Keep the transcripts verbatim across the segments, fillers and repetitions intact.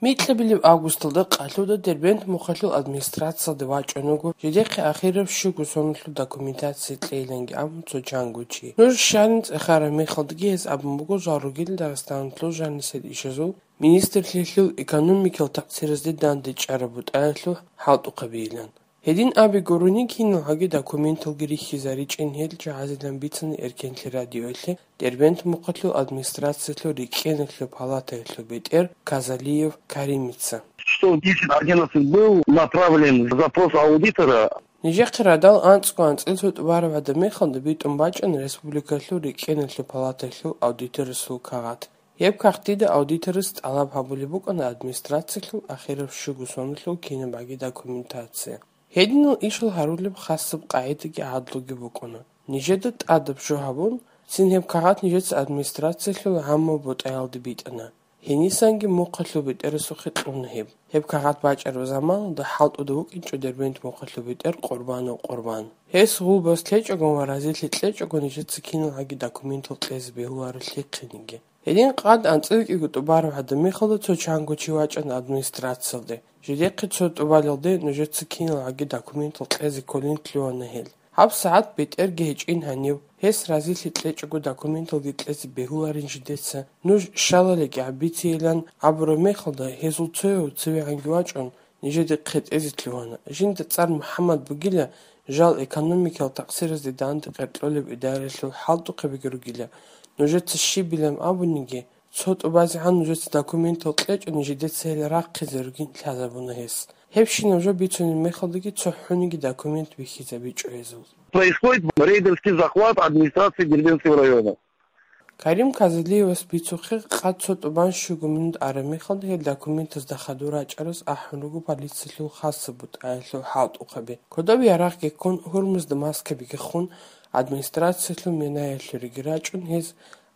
Микьабилеб августалда къалъуда Дербент мухъалъул администрациялде вачӀун вуго жидехъе ахираб щуго соналъул документация кьейиланги абун цо чанго чи. Нуж щалин цӀехараб мехалдаги гьез абун буго жал ругел Дагъистаналъул жанисел ишазул министрлъиялъул экономикал такъсиразде дандечӀараб бутӀаялъул хӀалтӀухъабийилан. Гьедин абе гурони киналгӀаги документалги рихьизаричӀин гьел жагьазилан бицана Эркенлъи радиоялъе Дербент мухъалъул администрациялъул рикӀкӀиналъул палатаялъул бетӀер Казалиев Каримица. Что в десять одиннадцать был направлен запрос аудитора. Нижехъе радал анцӀго анцӀил цо тӀубараб гӀадаб мехалда битӀун бачӀана республикалъул рикӀкӀиналъул палатаялъул аудиторасул кагъат. Гьеб кагътида аудиторас тӀалаб гьабулеб букӀана администрациялъул ахираб щуго соналъул кинабгӀаги документация. Гьединал ишал гьарулеб хасаб къагӀидаги гӀадлуги букӀуна. Нижеда тӀадаб жо гьабун, цин гьеб кагъат нижеца администрациялъул гӀаммаб бутӀаялде битӀана. Гьенисанги мухъалъул бетӀерасухъе кьуна гьеб. Гьеб кагъат бачӀараб заманалда хӀалтӀуда вукӀинчӀо Дербент мухъалъул бетӀер Къурбанов Къурбан. Гьес гъулбас лъечӀогон ва разилъи кьечӀого нижеца киналгӀаги документал кьезе бегьуларо лъихъениги. Гьедин къад анцӀила кӀиго тӀубараб гӀадаб мехалда цо чанго чи вачӀана администрациялде. Жидехъе цо тӀубалелде нужеца киналгӀаги документал кьезе кколин лъугьана гьел. ГьабсагӀат бетӀерги гьечӀин гьанив, гьес разилъи кьечӀого документалги кьезе бегьуларин жидеца, нуж щалалиги гьаб бицейилан абураб мехалда гьезул цояв цевегӀанги вачӀун, нижеде хъетӀезе лъугьана. Жинда цӀар МухӀаммад бугила, жал экономикал такъсиразде данде къеркьолеб идараялъул хӀалтӀухъабиги ругила. Нужеца щибилан абуниги, цо тӀубазегӀан нужеца документал кьечӀони, жидеца гьел рахъизе ругин лъазабуна гьес. Гьебщинаб жо бицунеб мехалдаги цохӀониги документ бихьизабичӀо гьезул. Происходит рейдерский захват администрации Дербентского района. Карим Казалиевас бицухъе къад цо тӀубан щуго минут араб мехалда гьел документазда хадур рачӀараз ахӀун руго полициялъул хасаб бутӀаялъул хӀалтӀухъаби. Кодоб ярагъги ккун, гьурмузда маскабиги хун, администрациялъул менаялъуреги рачӀун, гьез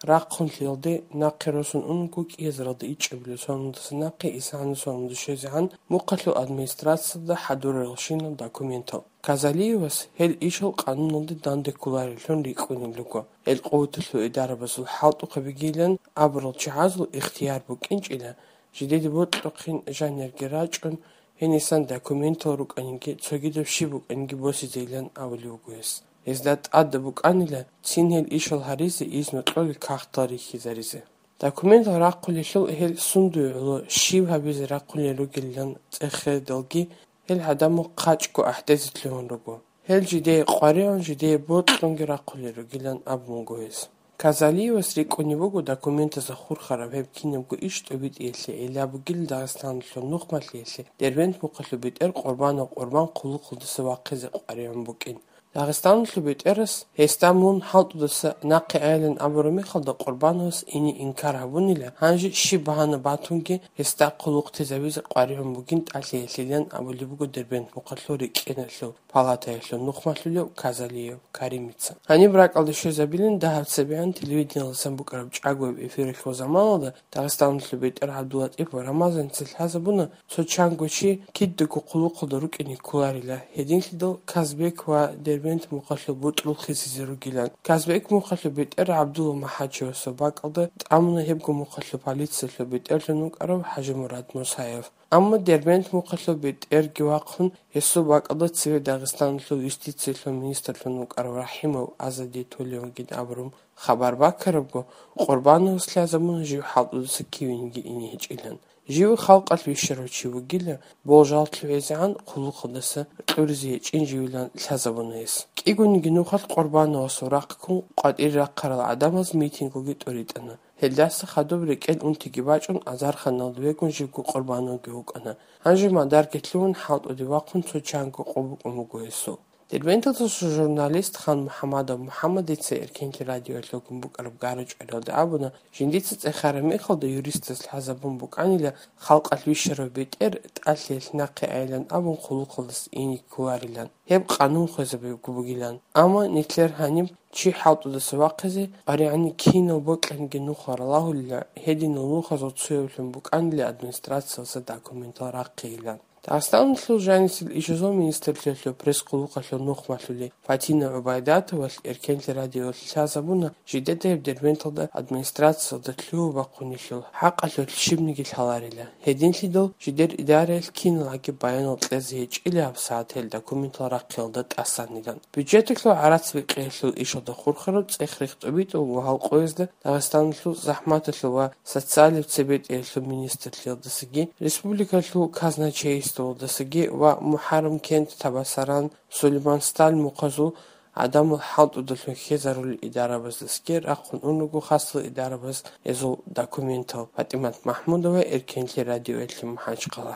рахъун лъиялде нахъе росун унго кӀиязаралда ичӀабилеб соналдаса нахъе исгӀанасул соналда щвезегӀан мухъалъул администрациялда хӀадураралщинал документал. Казалиевас гьел ишал къануналде данде кколареллъун рикӀкӀунеб буго. Гьел къуваталъул идарабазул хӀалтӀухъабигилан абурал чагӀазул ихтияр букӀинчӀила, жидеде бокьухъин жанирги рачӀун, гьенисан документал рукӀаниги, цогидаб щиб букӀаниги босизейилан абулеб буго гьес. Гьезда тӀадаб букӀанила цин гьел ишал гьаризе изну кьолел кагътал рихьизаризе. Документал рахъулелъул гьел сундуе гӀоло щиб гьабизе рахъулел ругелилан цӀехеялдалги гьел гӀадамал хъачӀго ахӀдезе лъугьун руго. Гьел жидее къваригӀун, жидее бокьунги рахъулел ругилан абун буго гьес. Казалиевас рикӀкӀунеб буго документазда хурхараб гьеб кинабго иш тӀобитӀиялъе гӀилла бугил Дагъистаналъул нухмалъиялъе Дербент мухъалъул бетӀер Къурбанов Къурбан хъулухъалдаса вахъизе къваригӀун букӀин. Дагъистаналъул бетӀерас гьесда мун хӀалтӀудаса нахъе айилан абураб мехалда Къурбановас ине инкар гьабунила, гьанже щиб багьана батунги гьесда хъулухътезабизе къваригӀун бугин тӀалъиялъилан абулеб буго Дербент мухъалъул рикӀкӀиналъул палатаялъул нухмалъулев Казалиев Каримица. Гьаниб ракӀалде щвезабилин дагьаб цебегӀан телевидениялдасан букӀараб чӀагояб эфиралъул заманалда Дагъистаналъул бетӀер ГӀабдуллатӀипов Рамазаница лъазабуна, цо чанго чи кидаго хъулухъалда рукӀине кколарила, гьединлъидал Казбек ва Дербент мухъалъул бутӀрул хисизе ругилан. Казбек мухъалъул бетӀер ГӀабдулла МухӀачевасул бакӀалда тӀамуна гьебго мухъалъул полициялъул бетӀерлъун вукӀарав ХӀажимурад Мусаев. Амма Дербент мухъалъул бетӀерги вахъун, гьесул бакӀалда цеве Дагъистаналъул юстициялъул министрлъун вукӀарав РахӀимов Азади Толевгин абурун хабар баккарабго, Къурбановас лъазабуна жив хӀалтӀудаса кивениги ине гьечӀилан. Жив халкъалъ вищарав чи вугила, болжал лъугӀизегӀан хъулухъалдаса кьуризе гьечӀин живилан лъазабуна гьес. КӀигониги нухалъ Къурбановасул рахъ ккун къватӀире рахъарал гӀадамаз митингуги тӀуритӀана. Гьелдаса хадуб рекӀел унтиги бачӀун азарханалда вегун живго Къурбановги вукӀана. Гьанже мадарги лъугьун хӀалтӀуде вахъун цо чанго къо букӀун буго гьесул. Дербенталдаса журналист Хан МухӀамадов МухӀамадица Эркенлъи радиоялъ вугун букӀараб гара-чӀвариялда абуна, жиндица цӀехараб мехалда юристас лъазабун букӀанила, халкъалъ вищарав бетӀер тӀалъиялъ нахъе айилан абун хъулухъалдаса ине кколарилан, гьеб къанун хвезабиго бугилан. Амма нилъер гьаниб чи хӀалтӀудаса вахъизе къваригӀани кинал бокьаниги нуха ралагьулила, гьединал нухазул цоявлъун букӀанила администрациялдаса документал рахъейилан. Дагъистаналъул жанисел ишазул министрлъиялъул пресс-къуллукъалъул нухмалъули Фатина ГӀубайдатовалъ Эркенлъи радиоялъе лъазабуна жидеда гьеб Дербенталда администрациялда лъугьа-бахъунелъул хӀакъалъулъ щибниги лъаларила. Гьединлъидал жидер идараялъ киналгӀаги баянал кьезе гьечӀила гьаб сагӀат гьел документал рахъиялда тӀасанилан. Бюджеталъул гӀарац-бикъиялъул ишалда хурхараб цӀех-рех тӀубитӀун ва гьал къоязда Дагъистаналъул захӀматалъул ва социалияб цебетӀиялъул министрлъиялдасаги, республикалъул казначействоялдасаги ва МухӀаррам кент, Табасаран, Сулейман Сталин мухъазул гӀадамал хӀалтӀудалъун хьезарулел идарабаздасаги рахъун унруго хасал идарабаз гьезул документал. ПатӀимат МахӀмудова, Эркенлъи радиоялъе МахӀачхъала.